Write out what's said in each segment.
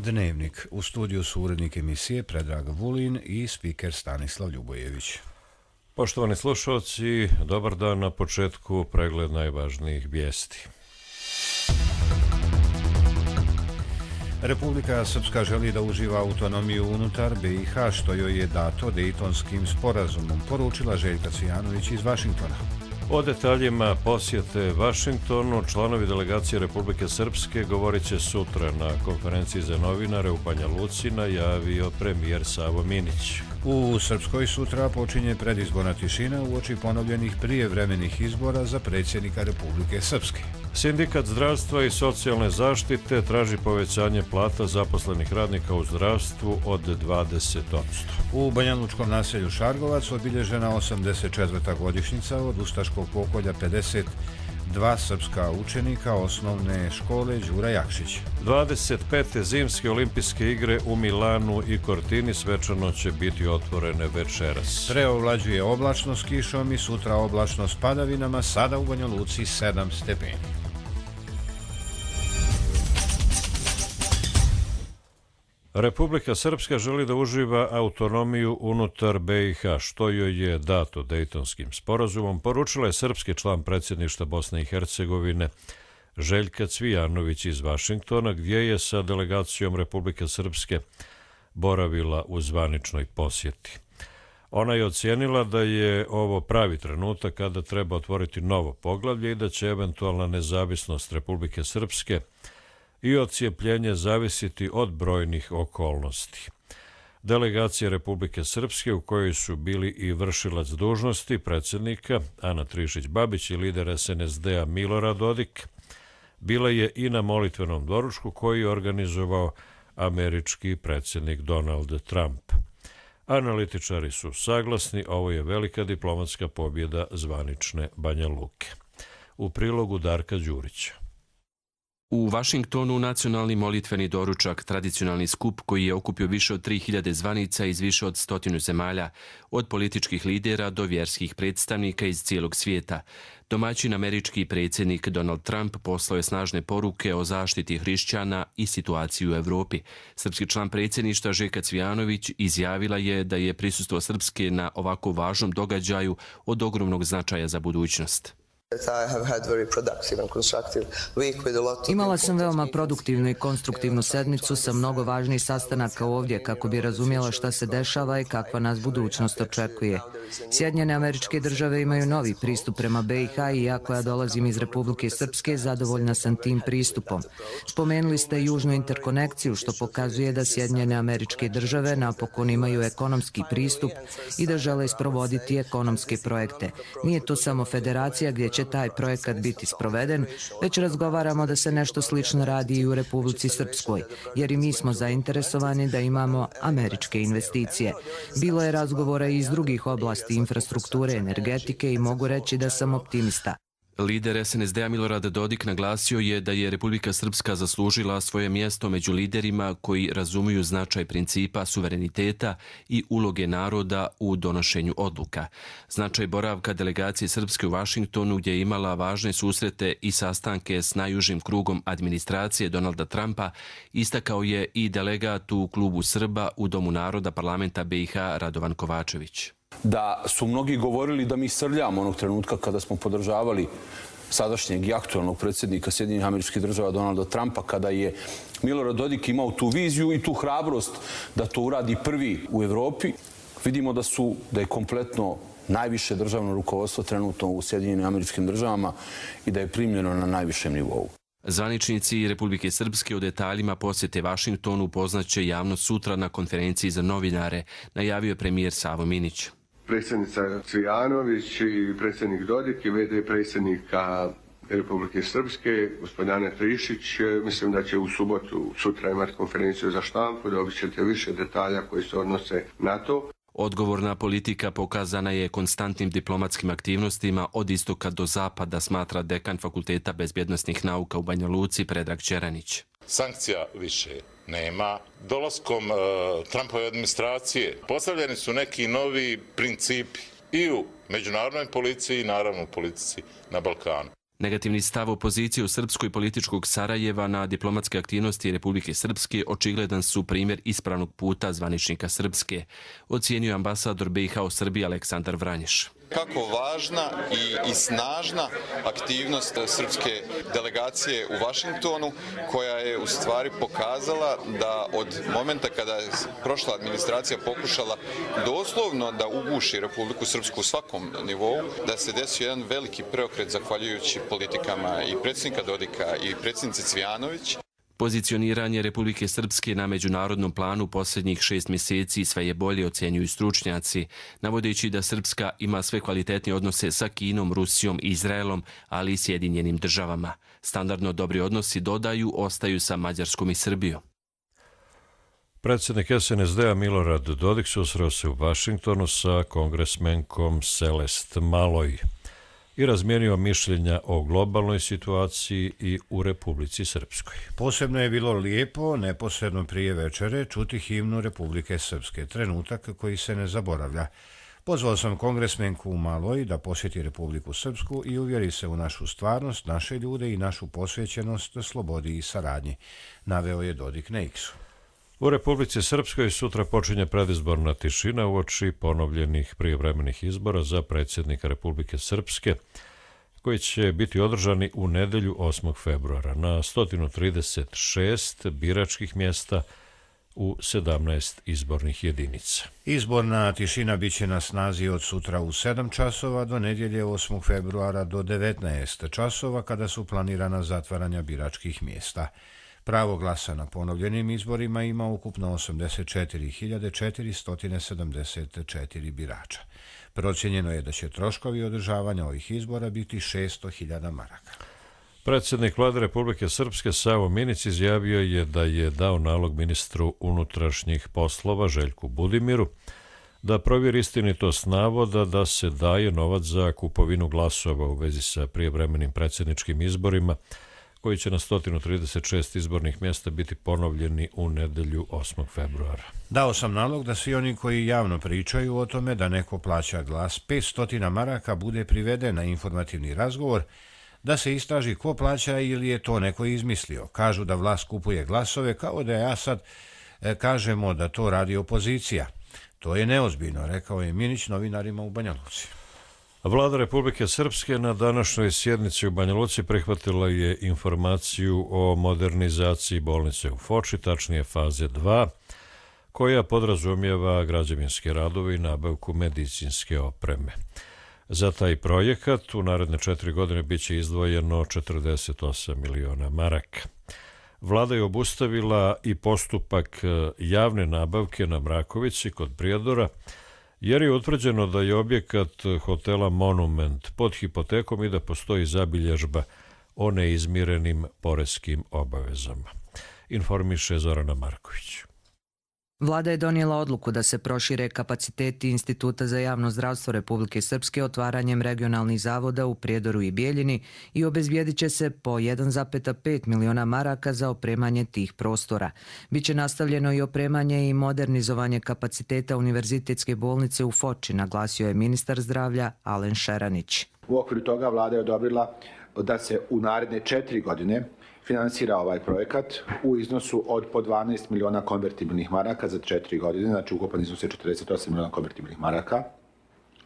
Dnevnik. U studiju su urednik emisije Predrag Vulin i spiker Stanislav Ljubojević. Poštovani slušalci, dobar dan. Na početku pregled najvažnijih vijesti. Republika Srpska želi da uživa autonomiju unutar BiH, što joj je dato Dejtonskim sporazumom, poručila Željka Cvijanović iz Vašingtona. O detaljima posjete Vašingtonu članovi delegacije Republike Srpske govorit će sutra na konferenciji za novinare u Banja Luci, najavio premijer Savo Minić. U Srpskoj sutra počinje predizborna tišina uoči ponovljenih prijevremenih izbora za predsjednika Republike Srpske. Sindikat zdravstva i socijalne zaštite traži povećanje plata zaposlenih radnika u zdravstvu od 20%. U banjalučkom naselju Šargovac obilježena 84. godišnjica od ustaškog pokolja 52 srpska učenika osnovne škole Đura Jakšić. 25. zimske olimpijske igre u Milanu i Cortini svečano će biti otvorene večeras. Preovlađuje oblačno s kišom i sutra oblačno s padavinama, sada u Banja Luci 7 stepeni. Republika Srpska želi da uživa autonomiju unutar BiH, što joj je dato Dejtonskim sporazumom, poručila je srpski član predsjedništva Bosne i Hercegovine Željka Cvijanović iz Vašingtona, gdje je sa delegacijom Republike Srpske boravila u zvaničnoj posjeti. Ona je ocijenila da je ovo pravi trenutak kada treba otvoriti novo poglavlje i da će eventualna nezavisnost Republike Srpske i odcijepljenje zavisiti od brojnih okolnosti. Delegacija Republike Srpske, u kojoj su bili i vršilac dužnosti predsjednika Ana Trišić-Babić i lider SNSD-a Milorad Dodik, bila je i na molitvenom doručku koji je organizovao američki predsjednik Donald Trump. Analitičari su saglasni, ovo je velika diplomatska pobjeda zvanične Banja Luke. U prilogu Darka Đurića. U Vašingtonu nacionalni molitveni doručak, tradicionalni skup koji je okupio više od 3000 zvanica iz više od 100 zemalja, od političkih lidera do vjerskih predstavnika iz cijelog svijeta. Domaćin američki predsjednik Donald Trump poslao je snažne poruke o zaštiti hrišćana i situaciji u Europi. Srpski član predsjedništva Željka Cvijanović izjavila je da je prisustvo Srpske na ovako važnom događaju od ogromnog značaja za budućnost. Imala sam veoma produktivnu i konstruktivnu sedmicu sa mnogo važnih sastanaka ovdje kako bi razumjela šta se dešava i kakva nas budućnost očekuje. Sjedinjene Američke Države imaju novi pristup prema BiH i iako ja dolazim iz Republike Srpske, zadovoljna sam tim pristupom. Spomenuli ste južnu interkonekciju, što pokazuje da Sjedinjene Američke Države napokon imaju ekonomski pristup i da žele sprovoditi ekonomske projekte. Nije to samo federacija gdje će taj projekat biti sproveden, već razgovaramo da se nešto slično radi i u Republici Srpskoj, jer i mi smo zainteresovani da imamo američke investicije. Bilo je razgovora i iz drugih oblasti infrastrukture, energetike i mogu reći da sam optimista. Lider SNSD-a Milorad Dodik naglasio je da je Republika Srpska zaslužila svoje mjesto među liderima koji razumiju značaj principa suvereniteta i uloge naroda u donošenju odluka. Značaj boravka delegacije Srpske u Vašingtonu, gdje je imala važne susrete i sastanke s najužim krugom administracije Donalda Trumpa, istakao je i delegat u klubu Srba u Domu naroda parlamenta BiH Radovan Kovačević. Da su mnogi govorili da mi srljamo onog trenutka kada smo podržavali sadašnjeg i aktualnog predsjednika Sjedinjenih Američkih Država Donalda Trumpa, kada je Milorad Dodik imao tu viziju i tu hrabrost da to uradi prvi u Evropi. Vidimo da je kompletno najviše državno rukovodstvo trenutno u Sjedinjenim Američkim Državama i da je primljeno na najvišem nivou. Zvaničnici Republike Srpske o detaljima posjete Vašingtonu upoznaće javnost sutra na konferenciji za novinare, najavio je premijer Savo Minić. Predsjednica Cvijanović i predsjednik Dodik i VD predsjednika Republike Srpske, gospodin Ana Trišić, mislim da će u subotu sutra imati konferenciju za štampu, dobit ćete više detalja koji se odnose na to. Odgovorna politika pokazana je konstantnim diplomatskim aktivnostima od istoka do zapada, smatra dekan Fakulteta bezbjednosnih nauka u Banja Luci Predrag Čeranić. Sankcija više nema. Dolaskom Trumpove administracije postavljeni su neki novi principi i u međunarodnoj policiji i naravno u politici na Balkanu. Negativni stav opozicije u Srpskoj političkog Sarajeva na diplomatske aktivnosti Republike Srpske očigledan su primjer ispravnog puta zvaničnika Srpske, ocijenio ambasador BiH u Srbiji Aleksandar Vranješ. Kako važna i snažna aktivnost srpske delegacije u Vašingtonu, koja je u stvari pokazala da od momenta kada je prošla administracija pokušala doslovno da uguši Republiku Srpsku u svakom nivou, da se desio jedan veliki preokret zahvaljujući politikama i predsjednika Dodika i predsjednice Cvijanović. Pozicioniranje Republike Srpske na međunarodnom planu posljednjih 6 mjeseci sve je bolje, ocjenjuju stručnjaci, navodeći da Srpska ima sve kvalitetnije odnose sa Kinom, Rusijom i Izraelom, ali i Sjedinjenim državama. Standardno dobri odnosi, dodaju, ostaju sa Mađarskom i Srbijom. Predsjednik SNSD-a Milorad Dodik susreo se u Vašingtonu sa kongresmenkom Celeste Maloj i razmijenio mišljenja o globalnoj situaciji i u Republici Srpskoj. Posebno je bilo lijepo, neposredno prije večere, čuti himnu Republike Srpske, trenutak koji se ne zaboravlja. Pozvao sam kongresmenku u Maloj da posjeti Republiku Srpsku i uvjeri se u našu stvarnost, naše ljude i našu posvećenost slobodi i saradnji, naveo je Dodik na X-u. U Republici Srpskoj sutra počinje predizborna tišina uoči ponovljenih prijevremenih izbora za predsjednika Republike Srpske, koji će biti održani u nedjelju 8. februara na 136 biračkih mjesta u 17 izbornih jedinica. Izborna tišina bit će na snazi od sutra u 7 časova do nedjelje 8. februara do 19 časova kada su planirana zatvaranja biračkih mjesta. Pravo glasa na ponovljenim izborima ima ukupno 84.474 birača. Procijenjeno je da će troškovi održavanja ovih izbora biti 600.000 maraka. Predsjednik Vlade Republike Srpske Savo Minić izjavio je da je dao nalog ministru unutrašnjih poslova Željku Budimiru da provjeri istinitost navoda da se daje novac za kupovinu glasova u vezi sa prijevremenim predsjedničkim izborima koji će na 136 izbornih mjesta biti ponovljeni u nedjelju 8. februara. Dao sam nalog da svi oni koji javno pričaju o tome da neko plaća glas 500 maraka bude priveden na informativni razgovor, da se istraži ko plaća ili je to neko izmislio. Kažu da vlast kupuje glasove kao da ja sad kažemo da to radi opozicija. To je neozbiljno, rekao je Minić novinarima u Banja Luci. Vlada Republike Srpske na današnjoj sjednici u Banja Luci prihvatila je informaciju o modernizaciji bolnice u Foči, tačnije faze 2, koja podrazumijeva građevinske radove i nabavku medicinske opreme. Za taj projekat u naredne 4 godine bit će izdvojeno 48 miliona maraka. Vlada je obustavila i postupak javne nabavke na Mrakovici kod Prijedora, jer je utvrđeno da je objekat hotela Monument pod hipotekom i da postoji zabilježba o neizmirenim poreskim obavezama, informiše Zorana Marković. Vlada je donijela odluku da se prošire kapaciteti Instituta za javno zdravstvo Republike Srpske otvaranjem regionalnih zavoda u Prijedoru i Bijeljini i obezbijedit će se po 1,5 miliona maraka za opremanje tih prostora. Biće nastavljeno i opremanje i modernizovanje kapaciteta Univerzitetske bolnice u Foči, naglasio je ministar zdravlja Alen Šeranić. U okviru toga vlada je odobrila da se u naredne 4 godine finansira ovaj projekat u iznosu od po 12 miliona konvertibilnih maraka za 4 godine, znači ukupan iznos je 48 miliona konvertibilnih maraka,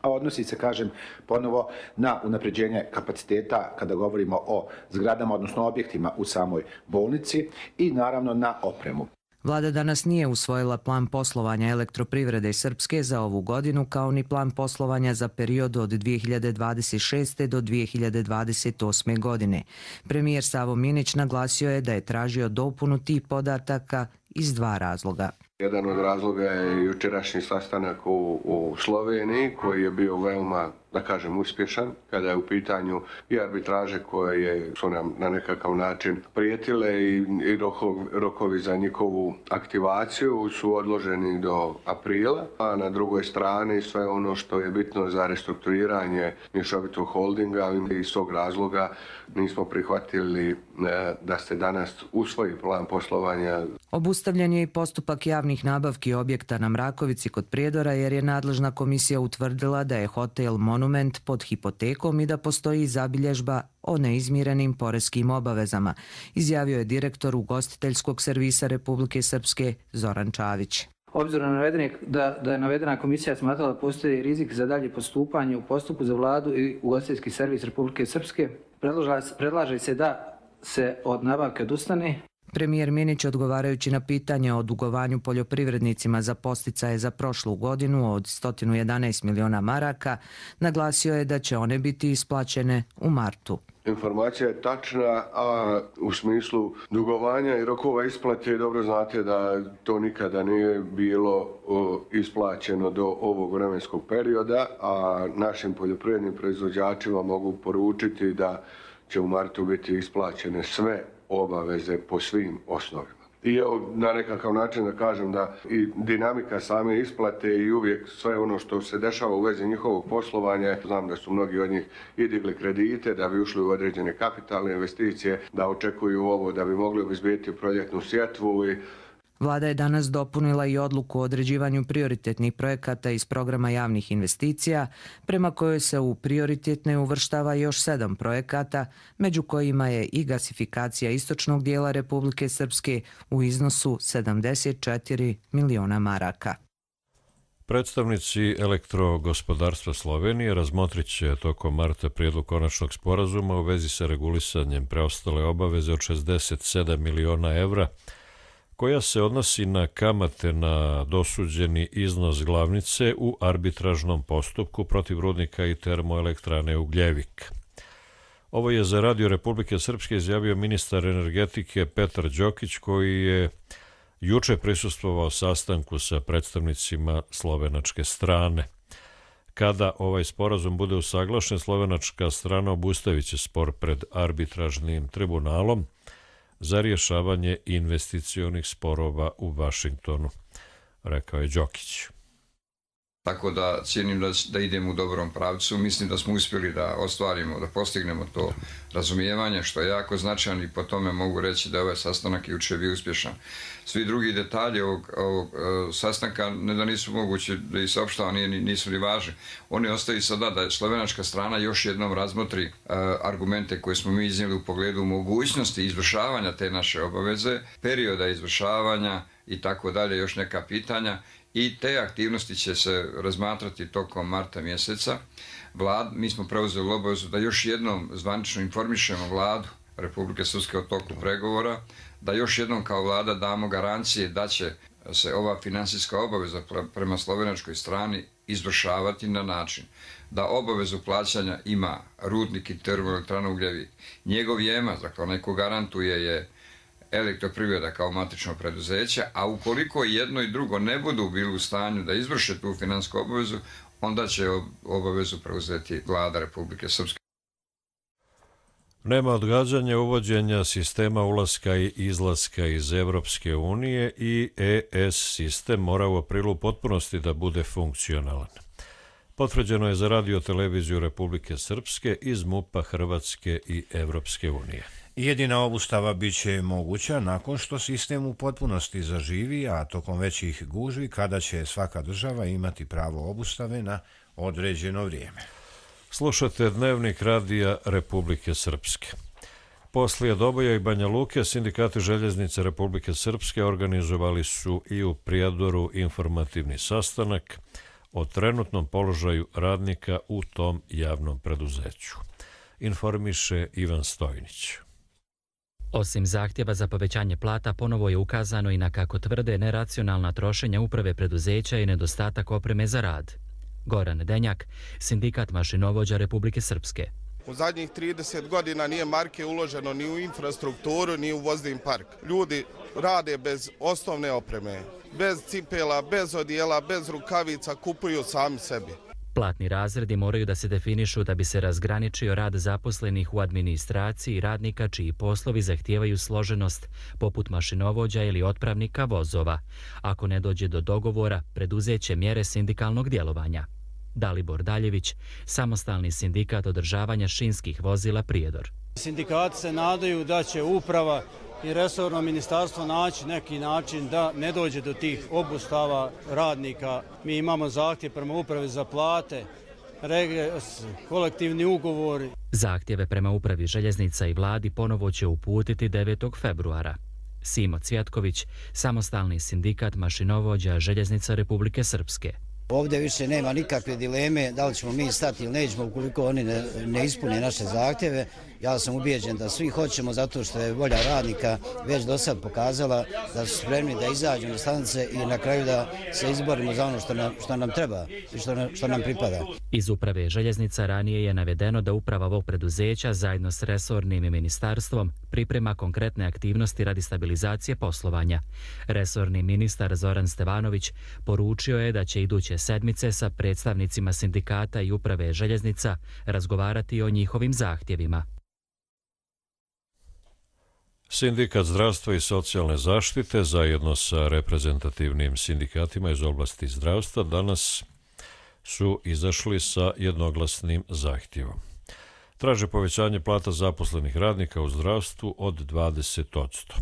a odnosi se, kažem, ponovo na unapređenje kapaciteta kada govorimo o zgradama, odnosno objektima u samoj bolnici i naravno na opremu. Vlada danas nije usvojila plan poslovanja Elektroprivrede Srpske za ovu godinu, kao ni plan poslovanja za period od 2026. do 2028. godine. Premijer Savo Minić naglasio je da je tražio dopunu tih podataka iz 2 razloga. Jedan od razloga je jučerašnji sastanak u Sloveniji koji je bio veoma, da kažem, uspješan kada je u pitanju i arbitraže koje su nam na nekakav način prijetile i rokovi za njihovu aktivaciju su odloženi do aprila, a na drugoj strani sve ono što je bitno za restrukturiranje mješovitog holdinga i iz tog razloga nismo prihvatili da se danas usvoji plan poslovanja. Obustavljen je i postupak javnih nabavki objekta na Mrakovici kod Prijedora jer je nadležna komisija utvrdila da je hotel monument pod hipotekom i da postoji zabilježba o neizmirenim poreskim obavezama, izjavio je direktor ugostiteljskog servisa Republike Srpske Zoran Čavić. Obzirom na da je navedena komisija smatrala da postoji rizik za dalje postupanje u postupku za vladu i ugostiteljski servis Republike Srpske, predlaže se da se od nabavke odustane. Premijer Minić, odgovarajući na pitanje o dugovanju poljoprivrednicima za podsticaje za prošlu godinu od 111 miliona maraka, naglasio je da će one biti isplaćene u martu. Informacija je tačna, a u smislu dugovanja i rokova isplate dobro znate da to nikada nije bilo isplaćeno do ovog vremenskog perioda, a našim poljoprivrednim proizvođačima mogu poručiti da će u martu biti isplaćene sve obaveze po svim osnovima. I evo, na nekakav način da kažem da i dinamika same isplate i uvijek sve ono što se dešava u vezi njihovog poslovanja, znam da su mnogi od njih i digli kredite da bi ušli u određene kapitalne investicije, da očekuju ovo da bi mogli obezbediti proljetnu sjetvu i Vlada je danas dopunila i odluku o određivanju prioritetnih projekata iz programa javnih investicija, prema kojoj se u prioritetne uvrštava još 7 projekata, među kojima je i gasifikacija istočnog dijela Republike Srpske u iznosu 74 miliona maraka. Predstavnici elektrogospodarstva Slovenije razmotrit će tokom marta prijedlog konačnog sporazuma u vezi sa regulisanjem preostale obaveze od 67 miliona evra, koja se odnosi na kamate na dosuđeni iznos glavnice u arbitražnom postupku protiv rudnika i termoelektrane Ugljevik. Ovo je za Radio Republike Srpske izjavio ministar energetike Petar Đokić, koji je juče prisustvovao sastanku sa predstavnicima slovenačke strane. Kada ovaj sporazum bude usaglašen, slovenačka strana obustavit će spor pred arbitražnim tribunalom za rješavanje investicionih sporova u Vašingtonu, rekao je Đokić. Tako da cijenim da idemo u dobrom pravcu. Mislim da smo uspjeli da ostvarimo, da postignemo to razumijevanje, što je jako značajno i po tome mogu reći da je ovaj sastanak jučer bio uspješan. Svi drugi detalji ovog sastanka ne da nisu mogući da ih saopštava, nisu ni važni. Oni ostaju sada da slovenačka strana još jednom razmotri argumente koje smo mi iznijeli u pogledu mogućnosti izvršavanja te naše obaveze, perioda izvršavanja i tako dalje, još neka pitanja. I te aktivnosti će se razmatrati tokom marta mjeseca. Mi smo preuzeli obavezu da još jednom zvanično informišemo vladu Republike Srpske o toku pregovora, da još jednom kao vlada damo garancije da će se ova finansijska obaveza prema slovenačkoj strani izvršavati na način da obavezu plaćanja ima rudnik i termoelektrana Ugljevik. Njegov jemac, dakle onaj ko garantuje je Elektroprivreda kao matično preduzeće, a ukoliko jedno i drugo ne budu bili u stanju da izvrše tu finansijsku obavezu, onda će obavezu preuzeti vlada Republike Srpske. Nema odgađanja uvođenja sistema ulaska i izlaska iz Evropske unije i ES sistem mora u aprilu u potpunosti da bude funkcionalan. Potvrđeno je za Radio televiziju Republike Srpske iz MUP-a Hrvatske i Evropske unije. Jedina obustava bit će moguća nakon što sistem u potpunosti zaživi, a tokom većih gužvi kada će svaka država imati pravo obustave na određeno vrijeme. Slušate Dnevnik Radija Republike Srpske. Poslije Doboja i Banja Luke, sindikati željeznice Republike Srpske organizovali su i u Prijedoru informativni sastanak o trenutnom položaju radnika u tom javnom preduzeću. Informiše Ivan Stojnić. Osim zahtjeva za povećanje plata, ponovo je ukazano i na, kako tvrde, neracionalna trošenja uprave preduzeća i nedostatak opreme za rad. Goran Denjak, sindikat mašinovođa Republike Srpske. U zadnjih 30 godina nije marke uloženo ni u infrastrukturu, ni u vozni park. Ljudi rade bez osnovne opreme, bez cipela, bez odijela, bez rukavica, kupuju sami sebi. Platni razredi moraju da se definišu da bi se razgraničio rad zaposlenih u administraciji i radnika čiji poslovi zahtijevaju složenost, poput mašinovođa ili otpravnika vozova. Ako ne dođe do dogovora, preduzeće mjere sindikalnog djelovanja. Dalibor Daljević, samostalni sindikat održavanja šinskih vozila Prijedor. Sindikati se nadaju da će uprava i resorno ministarstvo naći neki način da ne dođe do tih obustava radnika. Mi imamo zahtjev prema upravi za plate regres, kolektivni ugovori. Zahtjeve prema upravi željeznica i vladi ponovo će uputiti 9. februara. Simo Cvjatković, samostalni sindikat mašinovođa Željeznica Republike Srpske. Ovdje više nema nikakve dileme da li ćemo mi stati ili nećemo ukoliko oni ne ispune naše zahtjeve. Ja sam ubijeđen da svi hoćemo zato što je volja radnika već do sad pokazala da su spremni da izađu na stanice i na kraju da se izborimo za ono što nam treba i što nam pripada. Iz uprave željeznica ranije je navedeno da uprava ovog preduzeća zajedno s resornim ministarstvom priprema konkretne aktivnosti radi stabilizacije poslovanja. Resorni ministar Zoran Stevanović poručio je da će iduće sedmice sa predstavnicima sindikata i uprave željeznica razgovarati o njihovim zahtjevima. Sindikat zdravstva i socijalne zaštite zajedno sa reprezentativnim sindikatima iz oblasti zdravstva danas su izašli sa jednoglasnim zahtjevom. Traže povećanje plata zaposlenih radnika u zdravstvu od 20%.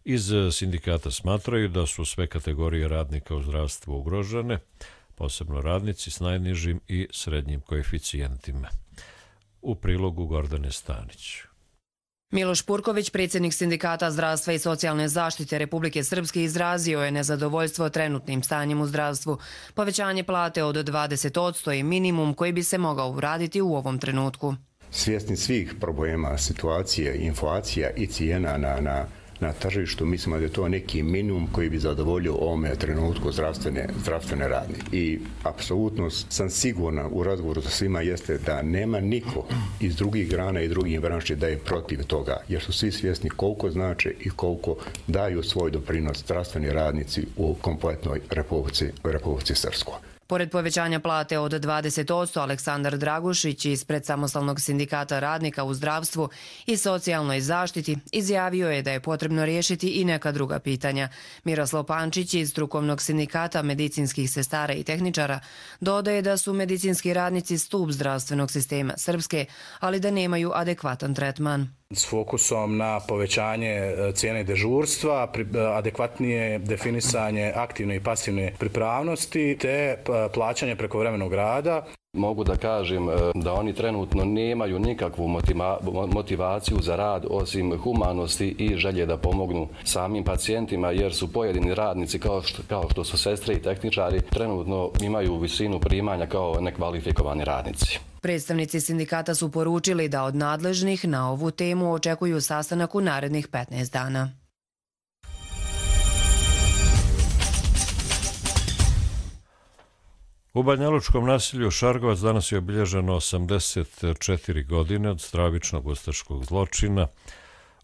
Iz sindikata smatraju da su sve kategorije radnika u zdravstvu ugrožene, posebno radnici s najnižim i srednjim koeficijentima. U prilogu Gordane Stanić. Miloš Purković, predsjednik Sindikata zdravstva i socijalne zaštite Republike Srpske, izrazio je nezadovoljstvo trenutnim stanjem u zdravstvu. Povećanje plate od 20% je minimum koji bi se mogao uraditi u ovom trenutku. Svjesni svih problema, situacije, inflacija i cijena na tržištu, mislimo da je to neki minimum koji bi zadovoljio ovome trenutku zdravstvene radnike. I apsolutno sam siguran u razgovoru sa svima jeste da nema niko iz drugih grana i drugih branši da je protiv toga, jer su svi svjesni koliko znače i koliko daju svoj doprinos zdravstveni radnici u kompletnoj Republici Srpskoj. Pored povećanja plate od 20%, Aleksandar Dragušić ispred Samostalnog sindikata radnika u zdravstvu i socijalnoj zaštiti izjavio je da je potrebno riješiti i neka druga pitanja. Miroslav Pančić iz Strukovnog sindikata medicinskih sestara i tehničara dodaje da su medicinski radnici stup zdravstvenog sistema Srpske, ali da nemaju adekvatan tretman. S fokusom na povećanje cijene dežurstva, adekvatnije definisanje aktivne i pasivne pripravnosti te plaćanje prekovremenog rada. Mogu da kažem da oni trenutno nemaju nikakvu motivaciju za rad osim humanosti i želje da pomognu samim pacijentima, jer su pojedini radnici kao što su sestre i tehničari trenutno imaju visinu primanja kao nekvalifikovani radnici. Predstavnici sindikata su poručili da od nadležnih na ovu temu očekuju sastanak u narednih 15 dana. U banjalučkom naselju Šargovac danas je obilježeno 84 godine od stravičnog ustaškog zločina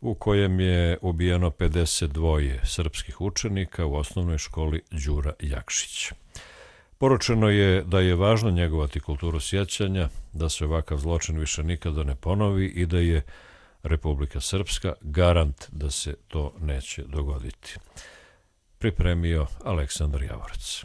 u kojem je ubijeno 52 srpskih učenika u osnovnoj školi Đura Jakšić. Poručeno je da je važno njegovati kulturu sjećanja, da se ovakav zločin više nikada ne ponovi i da je Republika Srpska garant da se to neće dogoditi. Pripremio Aleksandar Javorac.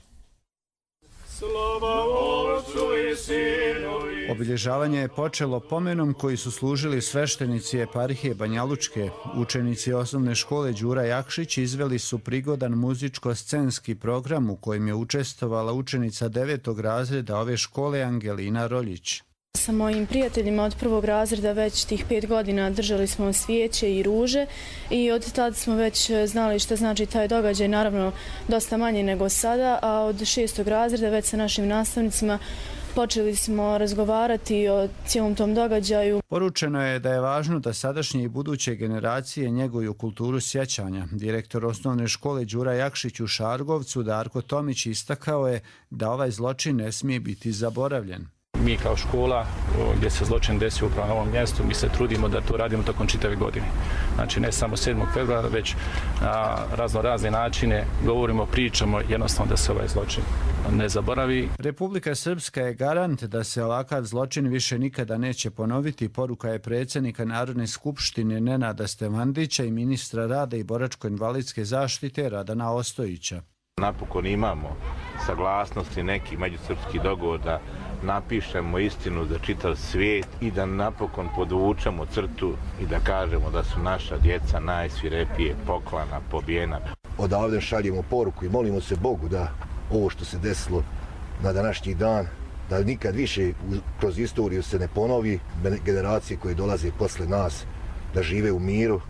Obilježavanje je počelo pomenom koji su služili sveštenici eparhije Banjalučke. Učenici osnovne škole Đura Jakšić izveli su prigodan muzičko-scenski program u kojem je učestvovala učenica 9. razreda ove škole Angelina Roljić. Sa mojim prijateljima od 1. razreda već tih 5 godina držali smo svijeće i ruže i od tada smo već znali šta znači taj događaj, naravno dosta manje nego sada, a od 6. razreda već sa našim nastavnicima počeli smo razgovarati o cijelom tom događaju. Poručeno je da je važno da sadašnje i buduće generacije njeguju kulturu sjećanja. Direktor osnovne škole Đura Jakšić u Šargovcu, Darko Tomić, istakao je da ovaj zločin ne smije biti zaboravljen. Mi kao škola gdje se zločin desio upravo na ovom mjestu, mi se trudimo da to radimo tokom čitave godine. Znači ne samo 7. februara, već na razne načine govorimo, pričamo, jednostavno da se ovaj zločin ne zaboravi. Republika Srpska je garant da se ovakav zločin više nikada neće ponoviti. Poruka je predsjednika Narodne skupštine Nenada Stevandića i ministra rada i boračko-invalidske zaštite Radana Ostojića. Napokon imamo saglasnosti, neki međusrpski dogovor da napišemo istinu za čitav svijet i da napokon podvučemo crtu i da kažemo da su naša djeca najsvirepije poklana, pobijena. Odavde šaljemo poruku i molimo se Bogu da ovo što se desilo na današnji dan, da nikad više kroz istoriju se ne ponovi, generacije koje dolaze posle nas da žive u miru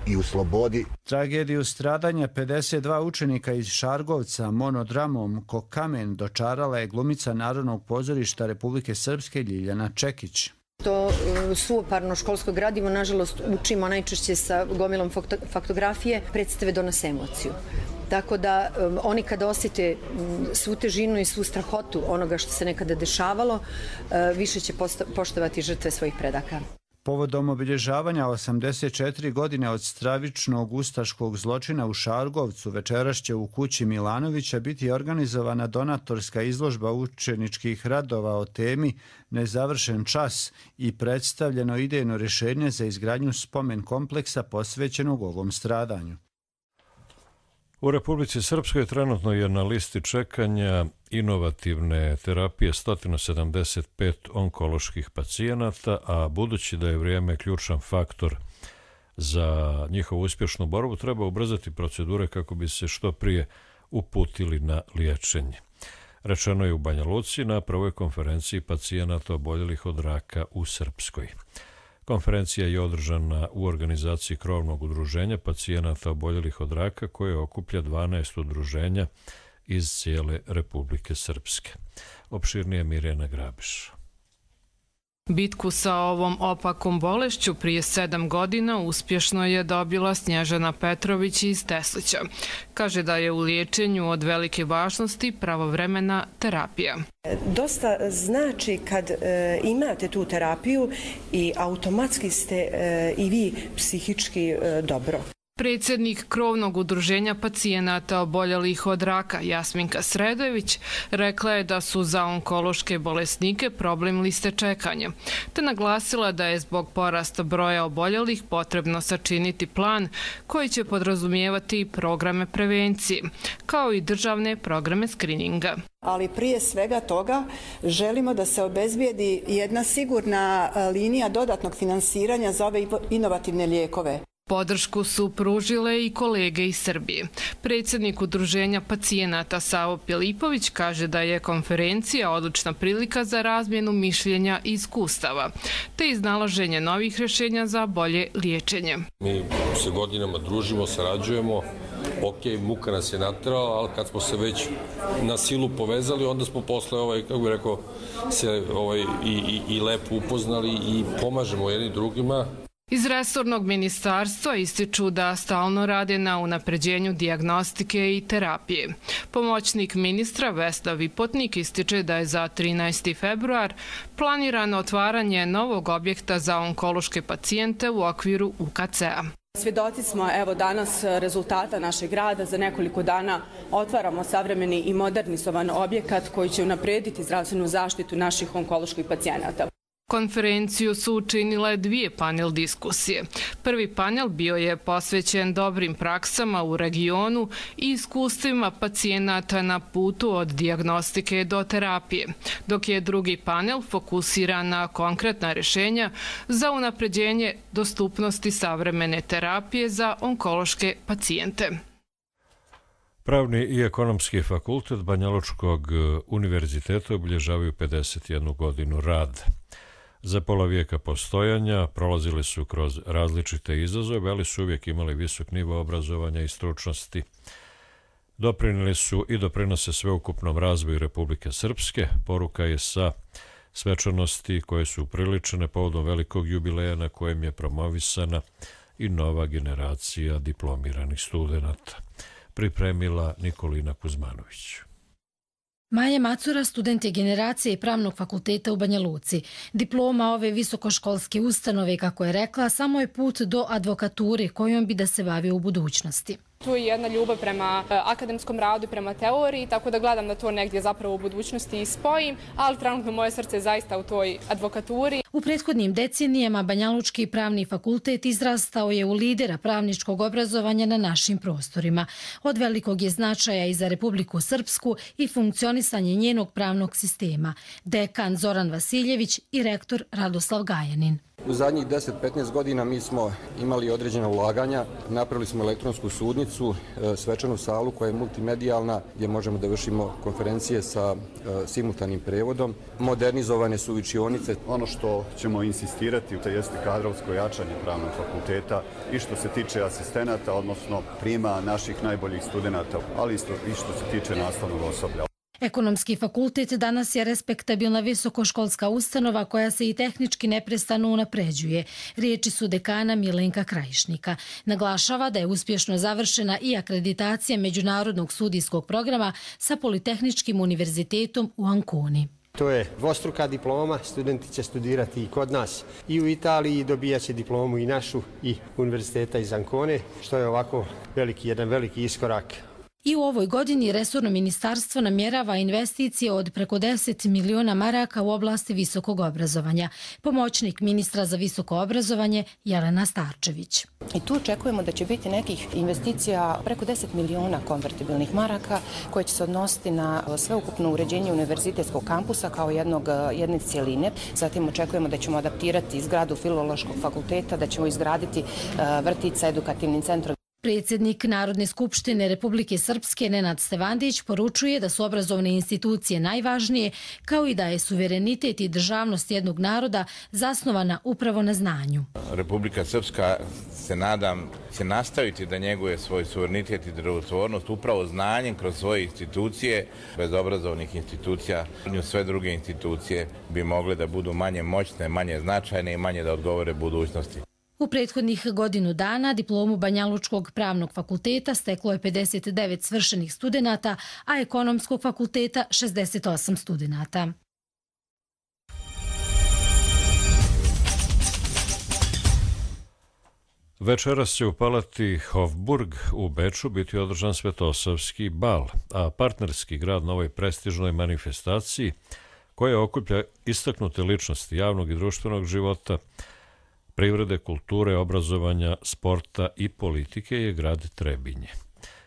i u slobodi. Tragediju stradanja 52 učenika iz Šargovca monodramom Ko kamen dočarala je glumica Narodnog pozorišta Republike Srpske Ljiljana Čekić. To suvoparno školsko gradivo, nažalost, učimo najčešće sa gomilom faktografije, predstave donose emociju. Tako da oni kada osjete svu težinu i svu strahotu onoga što se nekada dešavalo, više će poštovati žrtve svojih predaka. Povodom obilježavanja 84 godine od stravičnog ustaškog zločina u Šargovcu večeras će u kući Milanovića biti organizovana donatorska izložba učeničkih radova o temi Nezavršen čas i predstavljeno idejno rješenje za izgradnju spomen kompleksa posvećenog ovom stradanju. U Republici Srpskoj trenutno je na listi čekanja inovativne terapije 175 onkoloških pacijenata, a budući da je vrijeme ključan faktor za njihovu uspješnu borbu, treba ubrzati procedure kako bi se što prije uputili na liječenje. Rečeno je u Banja Luci na prvoj konferenciji pacijenata oboljelih od raka u Srpskoj. Konferencija je održana u organizaciji krovnog udruženja pacijenata oboljelih od raka koje okuplja 12 udruženja iz cijele Republike Srpske. Opširnije Mirjana Grabiš. Bitku sa ovom opakom bolešću prije 7 godina uspješno je dobila Snježana Petrović iz Teslića. Kaže da je u liječenju od velike važnosti pravovremena terapija. Dosta znači kad imate tu terapiju i automatski ste i vi psihički dobro. Predsjednik krovnog udruženja pacijenata oboljelih od raka Jasminka Sredojević rekla je da su za onkološke bolesnike problem liste čekanja, te naglasila da je zbog porasta broja oboljelih potrebno sačiniti plan koji će podrazumijevati programe prevencije, kao i državne programe skrininga. Ali prije svega toga želimo da se obezbijedi jedna sigurna linija dodatnog finansiranja za ove inovativne lijekove. Podršku su pružile i kolege iz Srbije. Predsjednik udruženja pacijenata Savo Pilipović kaže da je konferencija odlična prilika za razmjenu mišljenja i iskustava, te iznalaženje novih rješenja za bolje liječenje. Mi se godinama družimo, sarađujemo, ok, muka nas je naterala, ali kad smo se već na silu povezali, onda smo posle, kako bih rekao, se i lepo upoznali i pomažemo jedni drugima. Iz resornog ministarstva ističu da stalno rade na unapređenju dijagnostike i terapije. Pomoćnik ministra Vesna Vipotnik ističe da je za 13. februar planirano otvaranje novog objekta za onkološke pacijente u okviru UKC-a. Svjedoci smo danas rezultata našeg rada. Za nekoliko dana otvaramo savremeni i modernizovan objekat koji će unaprediti zdravstvenu zaštitu naših onkoloških pacijenata. Konferenciju su učinile 2 panel diskusije. Prvi panel bio je posvećen dobrim praksama u regionu i iskustvima pacijenata na putu od dijagnostike do terapije, dok je drugi panel fokusiran na konkretna rješenja za unapređenje dostupnosti savremene terapije za onkološke pacijente. Pravni i ekonomski fakultet Banjalučkog univerziteta obilježavaju 51 godinu rada. Za pola vijeka postojanja prolazili su kroz različite izazove, ali su uvijek imali visok nivo obrazovanja i stručnosti. Doprinijeli su i doprinose sveukupnom razvoju Republike Srpske. Poruka je sa svečanosti koje su upriličene povodom velikog jubileja na kojem je promovisana i nova generacija diplomiranih studenata. Pripremila Nikolina Kuzmanović. Maja Macura, student je generacije Pravnog fakulteta u Banja Luci. Diploma ove visokoškolske ustanove, kako je rekla, samo je put do advokature kojom bi da se bavio u budućnosti. Tu je jedna ljubav prema akademskom radu i prema teoriji, tako da gledam da to negdje zapravo u budućnosti i spojim, ali trenutno moje srce je zaista u toj advokaturi. U prethodnim decenijama Banjalučki pravni fakultet izrastao je u lidera pravničkog obrazovanja na našim prostorima. Od velikog je značaja i za Republiku Srpsku i funkcionisanje njenog pravnog sistema. Dekan Zoran Vasiljević i rektor Radoslav Gajanin. U zadnjih 10-15 godina mi smo imali određena ulaganja, napravili smo elektronsku sudnicu, svečanu salu koja je multimedijalna gdje možemo da vršimo konferencije sa simultanim prevodom. Modernizovane su učionice. Ono što ćemo insistirati to jeste kadrovsko jačanje pravnog fakulteta i što se tiče asistenata, odnosno prijema naših najboljih studenata, ali isto i što se tiče nastavnog osoblja. Ekonomski fakultet danas je respektabilna visokoškolska ustanova koja se i tehnički neprestano unapređuje. Riječi su dekana Milenka Krajišnika. Naglašava da je uspješno završena i akreditacija Međunarodnog studijskog programa sa Politehničkim univerzitetom u Anconi. To je dvostruka diploma, studenti će studirati i kod nas i u Italiji i dobijat će diplomu i našu i univerziteta iz Ancone, što je ovako jedan veliki iskorak. I u ovoj godini resorno ministarstvo namjerava investicije od preko 10 miliona maraka u oblasti visokog obrazovanja. Pomoćnik ministra za visoko obrazovanje Jelena Starčević. I tu očekujemo da će biti nekih investicija preko 10 miliona konvertibilnih maraka koje će se odnositi na sveukupno uređenje univerzitetskog kampusa kao jedne cijeline. Zatim očekujemo da ćemo adaptirati zgradu Filološkog fakulteta, da ćemo izgraditi vrtić sa edukativnim centrom. Predsjednik Narodne skupštine Republike Srpske Nenad Stevandić poručuje da su obrazovne institucije najvažnije, kao i da je suverenitet i državnost jednog naroda zasnovana upravo na znanju. Republika Srpska, se nadam, će nastaviti da njeguje svoj suverenitet i državotvornost upravo znanjem kroz svoje institucije. Bez obrazovnih institucija sve druge institucije bi mogle da budu manje moćne, manje značajne i manje da odgovore budućnosti. U prethodnih godinu dana diplomu Banjalučkog pravnog fakulteta steklo je 59 svršenih studenata, a Ekonomskog fakulteta 68 studenata. Večeras će u palati Hofburg u Beču biti održan Svetosavski bal, a partnerski grad na ovoj prestižnoj manifestaciji, koja okuplja istaknute ličnosti javnog i društvenog života, privrede, kulture, obrazovanja, sporta i politike, je grad Trebinje.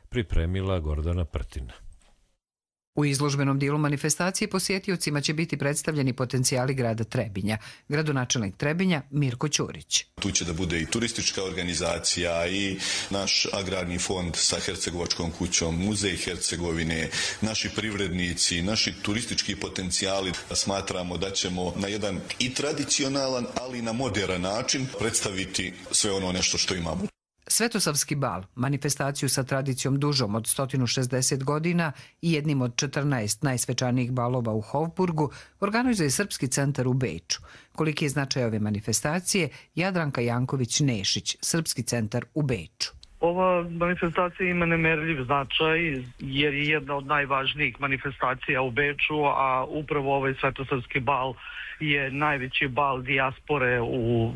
Pripremila Gordana Prtina. U izložbenom dijelu manifestacije posjetiocima će biti predstavljeni potencijali grada Trebinja. Gradonačelnik Trebinja Mirko Ćurić. Tu će da bude i turistička organizacija i naš agrarni fond sa Hercegovačkom kućom, muzej Hercegovine, naši privrednici, naši turistički potencijali. Smatramo da ćemo na jedan i tradicionalan, ali i na modern način predstaviti sve ono nešto što imamo. Svetosavski bal, manifestaciju sa tradicijom dužom od 160 godina i jednim od 14 najsvečanijih balova u Hofburgu, organizuje Srpski centar u Beču. Koliki je značaj ove manifestacije, Jadranka Janković-Nešić, Srpski centar u Beču. Ova manifestacija ima nemerljiv značaj jer je jedna od najvažnijih manifestacija u Beču, a upravo ovaj Svetosavski bal je najveći bal dijaspore u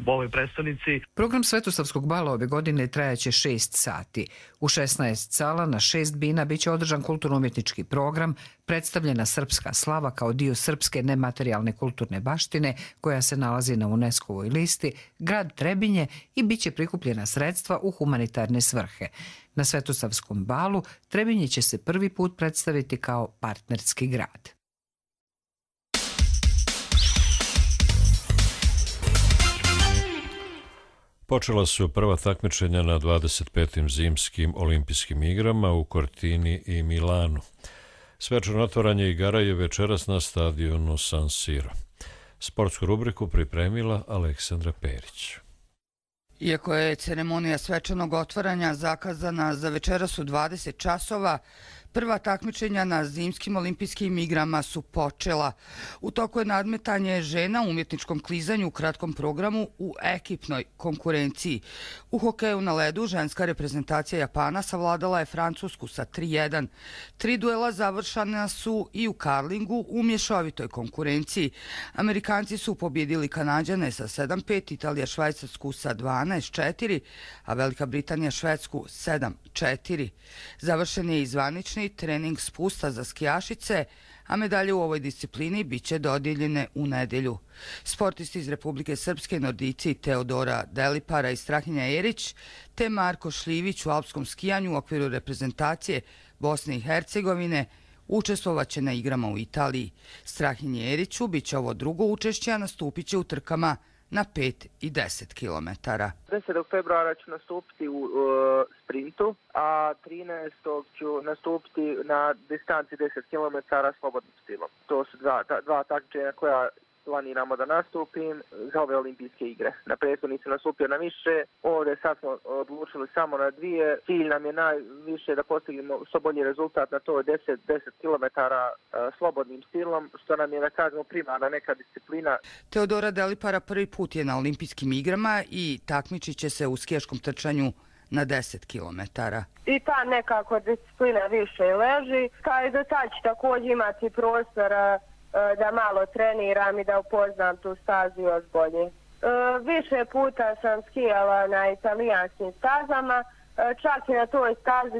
ovoj prestonici. Program Svetosavskog bala ove godine trajaće 6 sati. U 16 sala na 6 bina biće održan kulturno-umjetnički program, predstavljena srpska slava kao dio srpske nematerijalne kulturne baštine koja se nalazi na UNESCO-ovoj listi, grad Trebinje i biće prikupljena sredstva u humanitarne svrhe. Na Svetosavskom balu Trebinje će se prvi put predstaviti kao partnerski grad. Počela su prva takmičenja na 25. zimskim olimpijskim igrama u Cortini i Milanu. Svečano otvaranje igara je večeras na stadionu San Siro. Sportsku rubriku pripremila Aleksandra Perić. Iako je ceremonija svečanog otvaranja zakazana za večeras u 20 časova, prva takmičenja na zimskim olimpijskim igrama su počela. U toku je nadmetanje žena u umjetničkom klizanju u kratkom programu u ekipnoj konkurenciji. U hokeju na ledu ženska reprezentacija Japana savladala je Francusku sa 3:1. 3 duela završana su i u karlingu u mješovitoj konkurenciji. Amerikanci su pobjedili Kanađane sa 7:5, Italija Švajcarsku sa 12:4, a Velika Britanija Švedsku 7:4. Završen je i zvanični trening spusta za skijašice, a medalje u ovoj disciplini biće dodijeljene u nedjelju. Sportisti iz Republike Srpske, nordici Teodora Delipara i Strahinja Erić te Marko Šljivić u alpskom skijanju u okviru reprezentacije Bosne i Hercegovine učestvovaće na igrama u Italiji. Strahinji Eriću biće ovo drugo učešće, a nastupit će u trkama na 5 i 10 km. 10. februara ću nastupiti u sprintu, a 13. ću nastupiti na distanci 10 km slobodnim stilom. To su dva takmičenja koja planiramo da nastupim za ove olimpijske igre. Na prethodni sam nastupio na više, ovdje sad smo odlučili samo na 2. Cilj nam je najviše da postignemo što bolji rezultat na to 10 km slobodnim stilom, što nam je, da kažemo, primarna neka disciplina. Teodora Delipara prvi put je na olimpijskim igrama i takmičit će se u skiješkom trčanju na 10 km. I ta nekako disciplina više leži, kao i do sad ću također imati prostora da malo treniram i da upoznam tu stazu još bolje. Više puta sam skijala na italijanskim stazama, čak i na toj stazi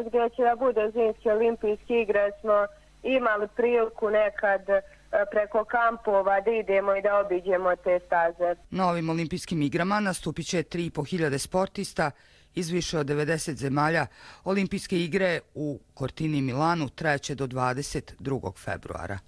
gdje će da bude zimske olimpijske igre smo imali priliku nekad preko kampova da idemo i da obiđemo te staze. Na ovim olimpijskim igrama nastupit će 3.500 sportista iz više od 90 zemalja. Olimpijske igre u Cortini i Milanu trajeće do 22. februara.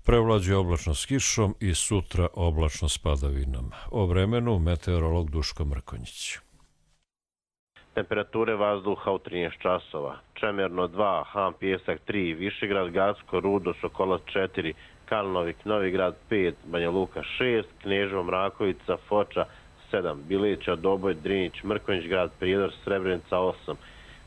Prevlađuje oblačno s kišom i sutra oblačno s padavinom. O vremenu meteorolog Duško Mrkonjić. Temperature vazduha u 13 časova. Čemerno 2, Han Pijesak 3, Višegrad, Gacko, Rudo, Šokolac 4, Kalnovik, Novi Grad 5, Banja Luka 6, Kneževo, Mrakovica, Foča 7, Bileća, Doboj, Drinić, Mrkonjić Grad, Prijedor, Srebrenica 8,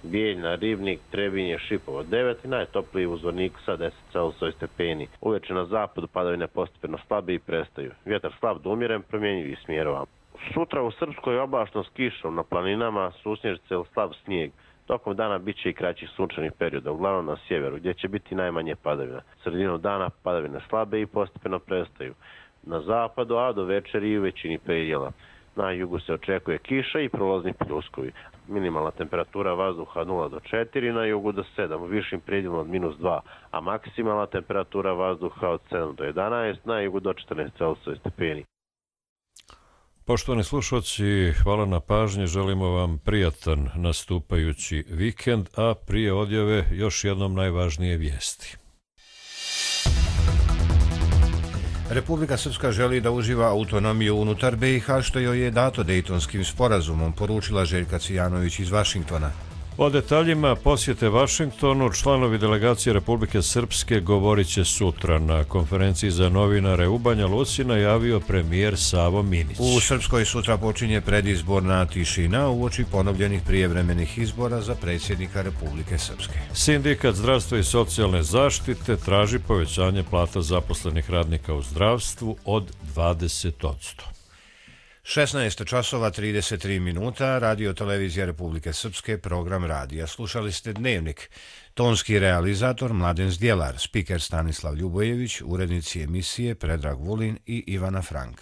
Bijeljna, Ribnik, Trebinje, Šipovo 9 i najtopliji u Zvorniku sa 10 stepeni. Uveče na zapadu padavine postepeno slabe i prestaju. Vjetar slab do umjeren, promjenjivi smjerova. Sutra u Srpskoj je oblačno s kišom, na planinama susnježice ili slab snijeg. Tokom dana bit će i kraći sunčanih perioda, uglavnom na sjeveru, gdje će biti najmanje padavina. Sredinom dana padavine slabe i postepeno prestaju. Na zapadu, a do večeri i u većini predjela. Na jugu se očekuje kiša i prolazni pljuskovi. Minimalna temperatura vazduha 0 do 4, na jugu do 7, u višim predjelima od -2, a maksimalna temperatura vazduha od 7 do 11, na jugu do 14 stepeni. Poštovani slušalci, hvala na pažnji, želimo vam prijatan nastupajući vikend, a prije odjave još jednom najvažnije vijesti. Republika Srpska želi da uživa autonomiju unutar BiH, što joj je dato Dejtonskim sporazumom, poručila Željka Cvijanović iz Vašingtona. O detaljima posjete Vašingtonu članovi delegacije Republike Srpske govorit će sutra na konferenciji za novinare u Banja Luci, najavio premijer Savo Minić. U Srpskoj sutra počinje predizborna tišina uoči ponovljenih prijevremenih izbora za predsjednika Republike Srpske. Sindikat zdravstva i socijalne zaštite traži povećanje plata zaposlenih radnika u zdravstvu od 20%. 16 časova 33 minuta, Radio Televizija Republike Srpske, program radija. Slušali ste Dnevnik. Tonski realizator Mladen Zdjelar, spiker Stanislav Ljubojević, urednici emisije Predrag Vulin i Ivana Frank.